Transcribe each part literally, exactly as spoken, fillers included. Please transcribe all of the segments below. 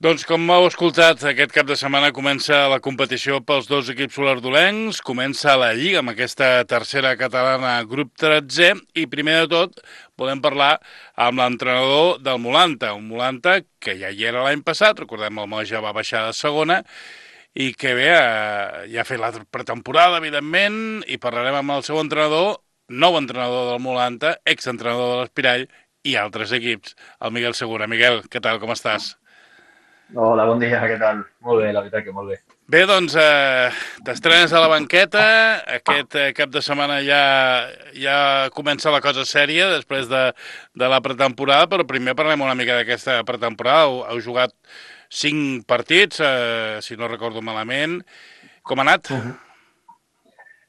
Doncs com heu escoltat, aquest cap de setmana comença la competició pels dos equips solardolencs, comença la Lliga amb aquesta tercera catalana grup tretzè i primer de tot volem parlar amb l'entrenador del Molanta, un Molanta que ja hi era l'any passat, recordem el Moja va baixar de segona i que bé, eh, ja ha fet la pretemporada, evidentment, i parlarem amb el seu entrenador, nou entrenador del Molanta, exentrenador de l'Espirall i altres equips, el Miguel Segura. Miguel, què tal, com estàs? Hola, bon dia, què tal? Molt bé, la veritat que molt bé. Bé, doncs, eh, t'estrenes a la banqueta, aquest eh, cap de setmana ja, ja comença la cosa sèria després de, de la pretemporada, però primer parlem una mica d'aquesta pretemporada. Heu, heu jugat cinc partits, eh, si no recordo malament. Com ha anat? Mhm.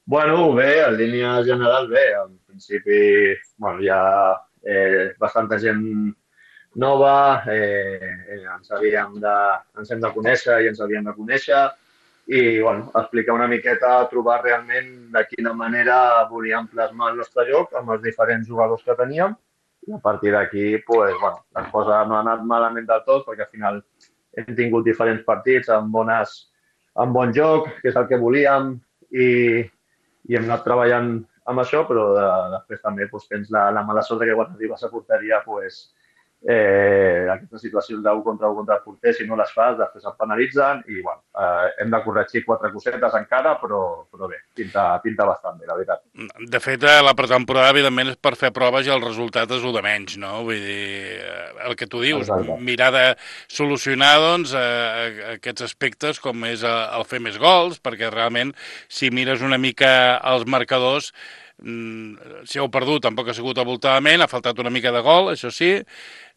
Bueno, bé, en línia general bé. En principi, bueno, hi ha eh, bastanta gent nova, eh, eh, ens havíem de, ens hem de conèixer i ens havíem de conèixer i, bueno, explicar una miqueta, trobar realment de quina manera volíem plasmar el nostre joc amb els diferents jugadors que teníem i a partir d'aquí, pues, bueno, les coses no han anat malament del tot perquè al final hem tingut diferents partits amb, bones, amb bon joc, que és el que volíem, i, i hem anat treballant amb això, però de, després també doncs, tens la, la mala sort que quan arribes a porteria pues, eh, aquestes situacions d'un contra un contra el porter, si no les fas, després et penalitzen i bueno, eh, hem de corregir quatre cosetes encara, però, però bé, pinta, pinta bastant bé, la veritat. De fet, eh, la pretemporada, evidentment, és per fer proves i el resultat és el de menys, no? Vull dir, eh, el que tu dius, Exacte. mirar de solucionar, doncs, eh, aquests aspectes com és eh, el fer més gols, perquè realment, si mires una mica els marcadors, mm, si heu perdut tampoc ha sigut avoltadament, ha faltat una mica de gol, això sí,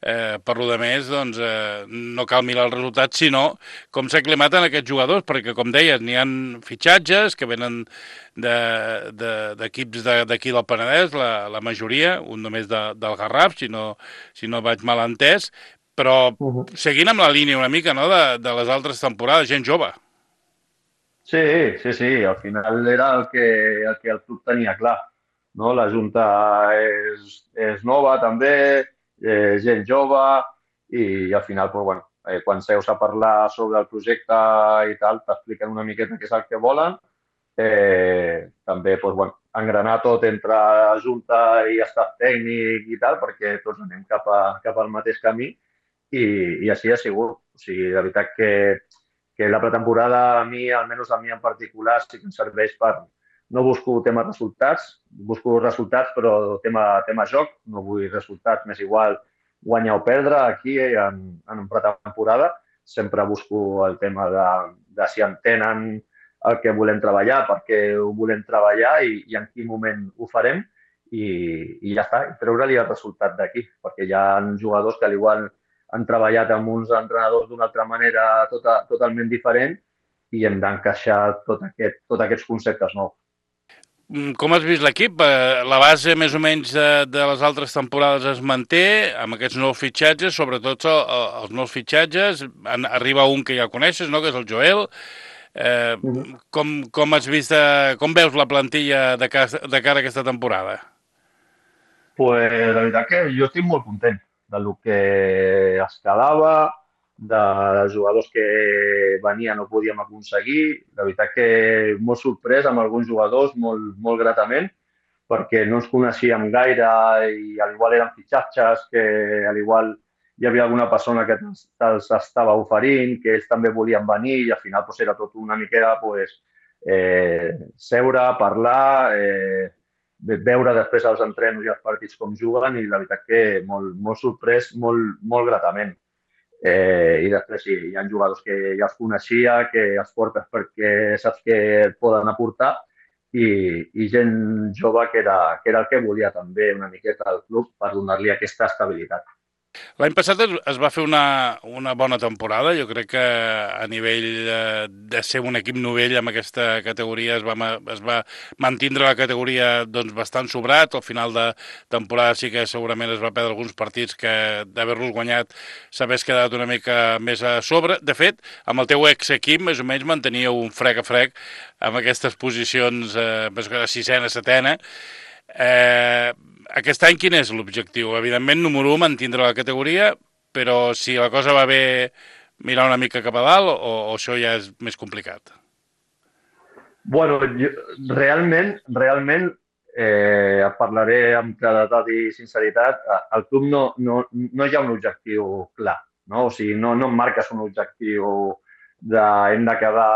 eh, per lo de més, doncs, eh, no cal mirar els resultats, sinó com s'aclimaten aquests jugadors, perquè, com deies, n'hi han fitxatges que venen d'equips de, de, d'aquí del Penedès, la, la majoria, un només de, del Garraf, si no, si no vaig mal entès, però Uh -huh. seguint amb la línia una mica no, de, de les altres temporades, gent jove. Sí, sí, sí, al final era el que el, que el club tenia clar. No? La Junta és, és nova també, eh, gent jove i, al final pues, bueno, eh, quan seus a parlar sobre el projecte i tal, t'expliquen una miqueta què és el que volen. Eh, també pues, bueno, engranar tot entre Junta i estat tècnic i tal, perquè tots anem cap, a, cap al mateix camí i, i així ha sigut. O sigui, la veritat que que la pretemporada a mi, almenys a mi en particular, sí que em serveix per... No busco temes resultats, busco resultats, però tema, tema joc, no vull resultats, més igual guanyar o perdre aquí en, en pretemporada. Sempre busco el tema de, de si entenen el que volem treballar, per què ho volem treballar i, i en quin moment ho farem i, i ja està, treure-li el resultat d'aquí, perquè hi ha jugadors que al igual han treballat amb uns entrenadors d'una altra manera tota, totalment diferent i hem d'encaixar tot aquest, tots aquests conceptes nous. Mm, Com has vist l'equip? Eh, La base més o menys de, de les altres temporades es manté amb aquests nous fitxatges, sobretot el, el, els nous fitxatges. En, arriba un que ja coneixes, no? Que és el Joel. Eh, Uh -huh. com, com has vist, eh, com veus la plantilla de, ca, de cara a aquesta temporada? Pues la veritat que jo estic molt content de lo que es quedava, de, de jugadors que venien no podíem aconseguir. La veritat que molt sorprès amb alguns jugadors, molt, molt gratament, perquè no ens coneixíem gaire i al igual eren fitxatges que al igual hi havia alguna persona que els estava oferint, que ells també volien venir i al final pues, era tot una miqueta pues, eh, seure, parlar, eh, veure després els entrenos i els partits com juguen i la veritat que molt, molt sorprès, molt, molt gratament. Eh, I després sí, hi ha jugadors que ja els coneixia, que els portes perquè saps que et poden aportar i, i gent jove que era, que era el que volia també una miqueta al club per donar-li aquesta estabilitat. L'any passat es, es va fer una, una bona temporada. Jo crec que a nivell eh, de ser un equip novell amb aquesta categoria es va, ma- es va mantindre la categoria doncs, bastant sobrat. Al final de temporada sí que segurament es va perdre alguns partits que d'haver-los guanyat s'hagués quedat una mica més a sobre. De fet, amb el teu ex-equip més o menys manteníeu un frec a frec amb aquestes posicions, eh, més que la sisena, setena. Eh, aquest any quin és l'objectiu? Evidentment, número un, mantindre la categoria, però si la cosa va bé mirar una mica cap a dalt o, o això ja és més complicat? Bueno, jo, realment, realment, eh, et parlaré amb claredat i sinceritat, al club no, no, no hi ha un objectiu clar, no? O sigui, no, no em marques un objectiu de hem de quedar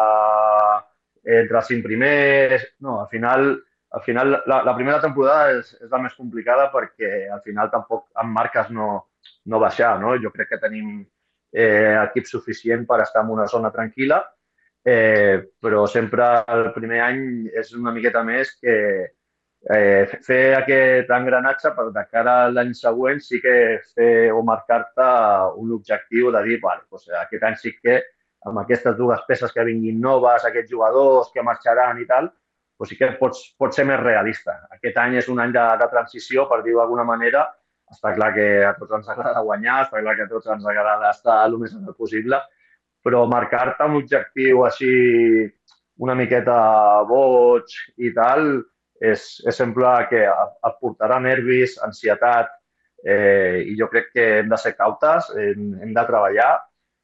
entre els cinc primers, no, al final, al final la, la primera temporada és, és la més complicada perquè al final tampoc em marques no, no baixar, no? Jo crec que tenim eh, equip suficient per estar en una zona tranquil·la, eh, però sempre el primer any és una miqueta més que eh, fer aquest engranatge per de cara a l'any següent sí que fer o marcar-te un objectiu de dir, vale, doncs aquest any sí que amb aquestes dues peces que vinguin noves, aquests jugadors que marxaran i tal, doncs sí que pots, pots ser més realista. Aquest any és un any de, de transició, per dir-ho d'alguna manera. Està clar que a tots ens agrada guanyar, està clar que a tots ens agrada estar el més alt possible, però marcar-te un objectiu així una miqueta boig i tal, és, és sempre que et portarà nervis, ansietat, eh, i jo crec que hem de ser cautes, hem, hem de treballar,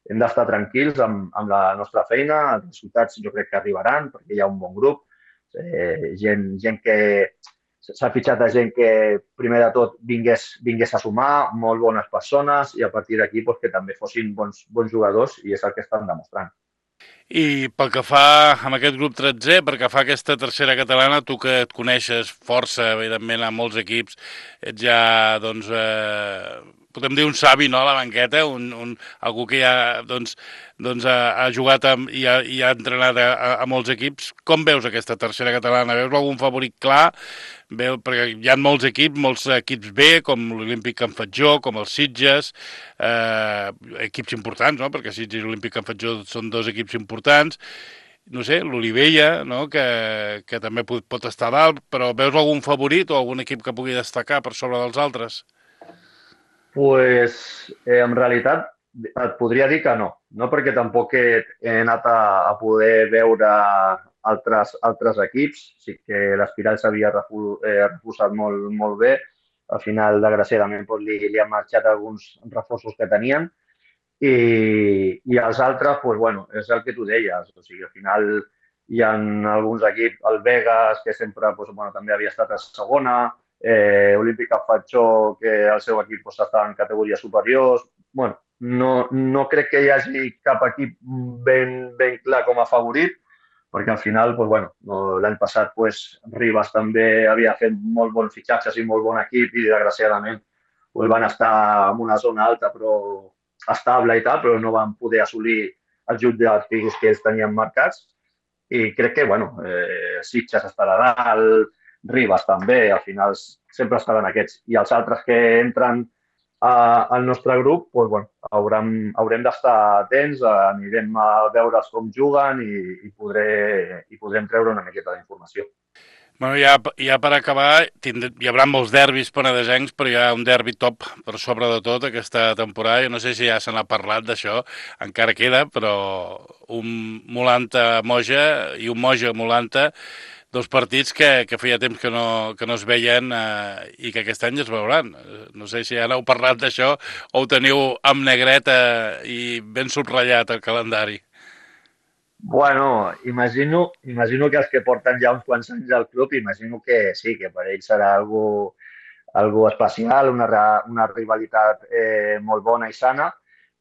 hem d'estar tranquils amb, amb la nostra feina, els resultats jo crec que arribaran perquè hi ha un bon grup, eh, gent, gent que s'ha fitxat a gent que primer de tot vingués, vingués a sumar, molt bones persones i a partir d'aquí pues, que també fossin bons, bons jugadors i és el que estan demostrant. I pel que fa amb aquest grup tretzè, pel que fa a aquesta tercera catalana, tu que et coneixes força, evidentment, a molts equips, ets ja, doncs, eh, podem dir un savi, no?, a la banqueta, un, un, algú que ja, doncs, doncs ha, ha jugat amb, i, ha, i ha entrenat a, a, a molts equips. Com veus aquesta tercera catalana? Veus algun favorit clar? Veu, perquè hi ha molts equips, molts equips B, com l'Olímpic Can Fatjó, com els Sitges, eh, equips importants, no?, perquè Sitges i l'Olímpic Can Fatjó són dos equips importants, no sé, l'Olivella, no?, que, que també pot, pot estar a dalt, però veus algun favorit o algun equip que pugui destacar per sobre dels altres? Pues, eh, en realitat et podria dir que no, no perquè tampoc he, he anat a, a poder veure altres, altres equips, sí que l'Espiral s'havia refu, eh, reforçat molt, molt bé, al final, desgraciadament, pues, li, li han marxat alguns reforços que tenien, i, i els altres, pues, bueno, és el que tu deies, o sigui, al final hi ha alguns equips, el Vegas, que sempre pues, bueno, també havia estat a segona, eh, Olímpica Fatxó, que el seu equip pues, està en categories superiors. Bueno, no, no crec que hi hagi cap equip ben, ben clar com a favorit, perquè al final, pues, bueno, no, l'any passat pues, Ribas també havia fet molt bons fitxatges i molt bon equip i desgraciadament pues, van estar en una zona alta però estable i tal, però no van poder assolir els objectius que ells tenien marcats. I crec que, bueno, eh, Sitges estarà dalt, Ribas també, al final sempre estaran aquests. I els altres que entren a, al nostre grup, doncs, bueno, haurem, haurem d'estar atents, anirem a veure'ls com juguen i, i, podré, i podrem treure una miqueta d'informació. Bueno, ja, ja per acabar, tindré, hi haurà molts derbis penedesencs, però hi ha un derbi top per sobre de tot aquesta temporada. Jo no sé si ja se n'ha parlat d'això, encara queda, però un Molanta-Moja i un Moja-Molanta, dos partits que, que feia temps que no, que no es veien eh, i que aquest any es veuran. No sé si ja n'heu parlat d'això o ho teniu amb negreta i ben subratllat el calendari. Bueno, imagino, imagino que els que porten ja uns quants anys al club, imagino que sí, que per ells serà algo, algo especial, una, una rivalitat eh, molt bona i sana.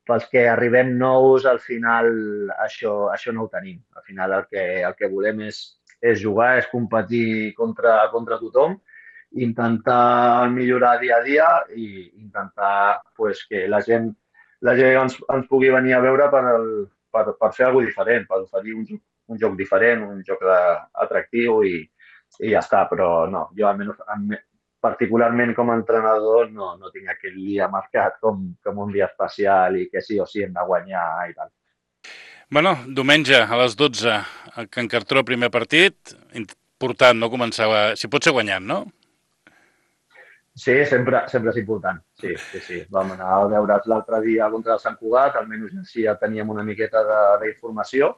Pels que arribem nous, al final això, això no ho tenim. Al final el que, el que volem és, és jugar, és competir contra, contra tothom, intentar millorar dia a dia i intentar pues, que la gent, la gent ens, ens pugui venir a veure per, el, per, per fer alguna cosa diferent, per oferir un, un joc diferent, un joc de, atractiu i, i ja està. Però no, jo almenys particularment com a entrenador no, no tinc aquell dia marcat com, com un dia especial i que sí o sí hem de guanyar i tal. Bueno, diumenge a les dotze, a Can Cartró, primer partit, important no començava, si pot ser guanyant, no? Sí, sempre, sempre és important, sí, sí, sí. Vam anar a veure's l'altre dia contra el Sant Cugat, almenys així ja teníem una miqueta d'informació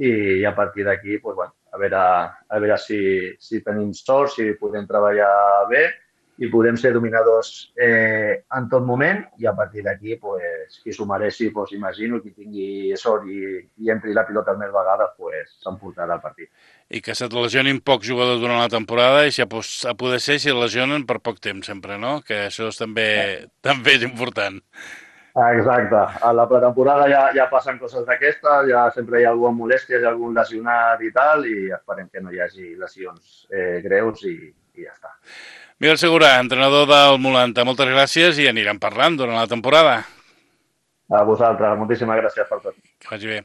i a partir d'aquí, pues, bueno, a veure, a veure si, si tenim sort, si podem treballar bé i podem ser dominadors eh, en tot moment i a partir d'aquí, pues, qui s'ho mereixi, pues, imagino, qui tingui sort i, i entri la pilota més vegades, pues, s'emportarà el partit. I que se't lesionin pocs jugadors durant la temporada i si a, a poder ser si lesionen per poc temps sempre, no? Que això és també, també és important. Exacte. A la pretemporada ja, ja passen coses d'aquestes, ja sempre hi ha algú amb molèsties, algun lesionat i tal, i esperem que no hi hagi lesions eh, greus i, i ja està. Miguel Segura, entrenador del Molanta, moltes gràcies i anirem parlant durant la temporada. A vosaltres, moltíssimes gràcies per tot. Que vagi bé.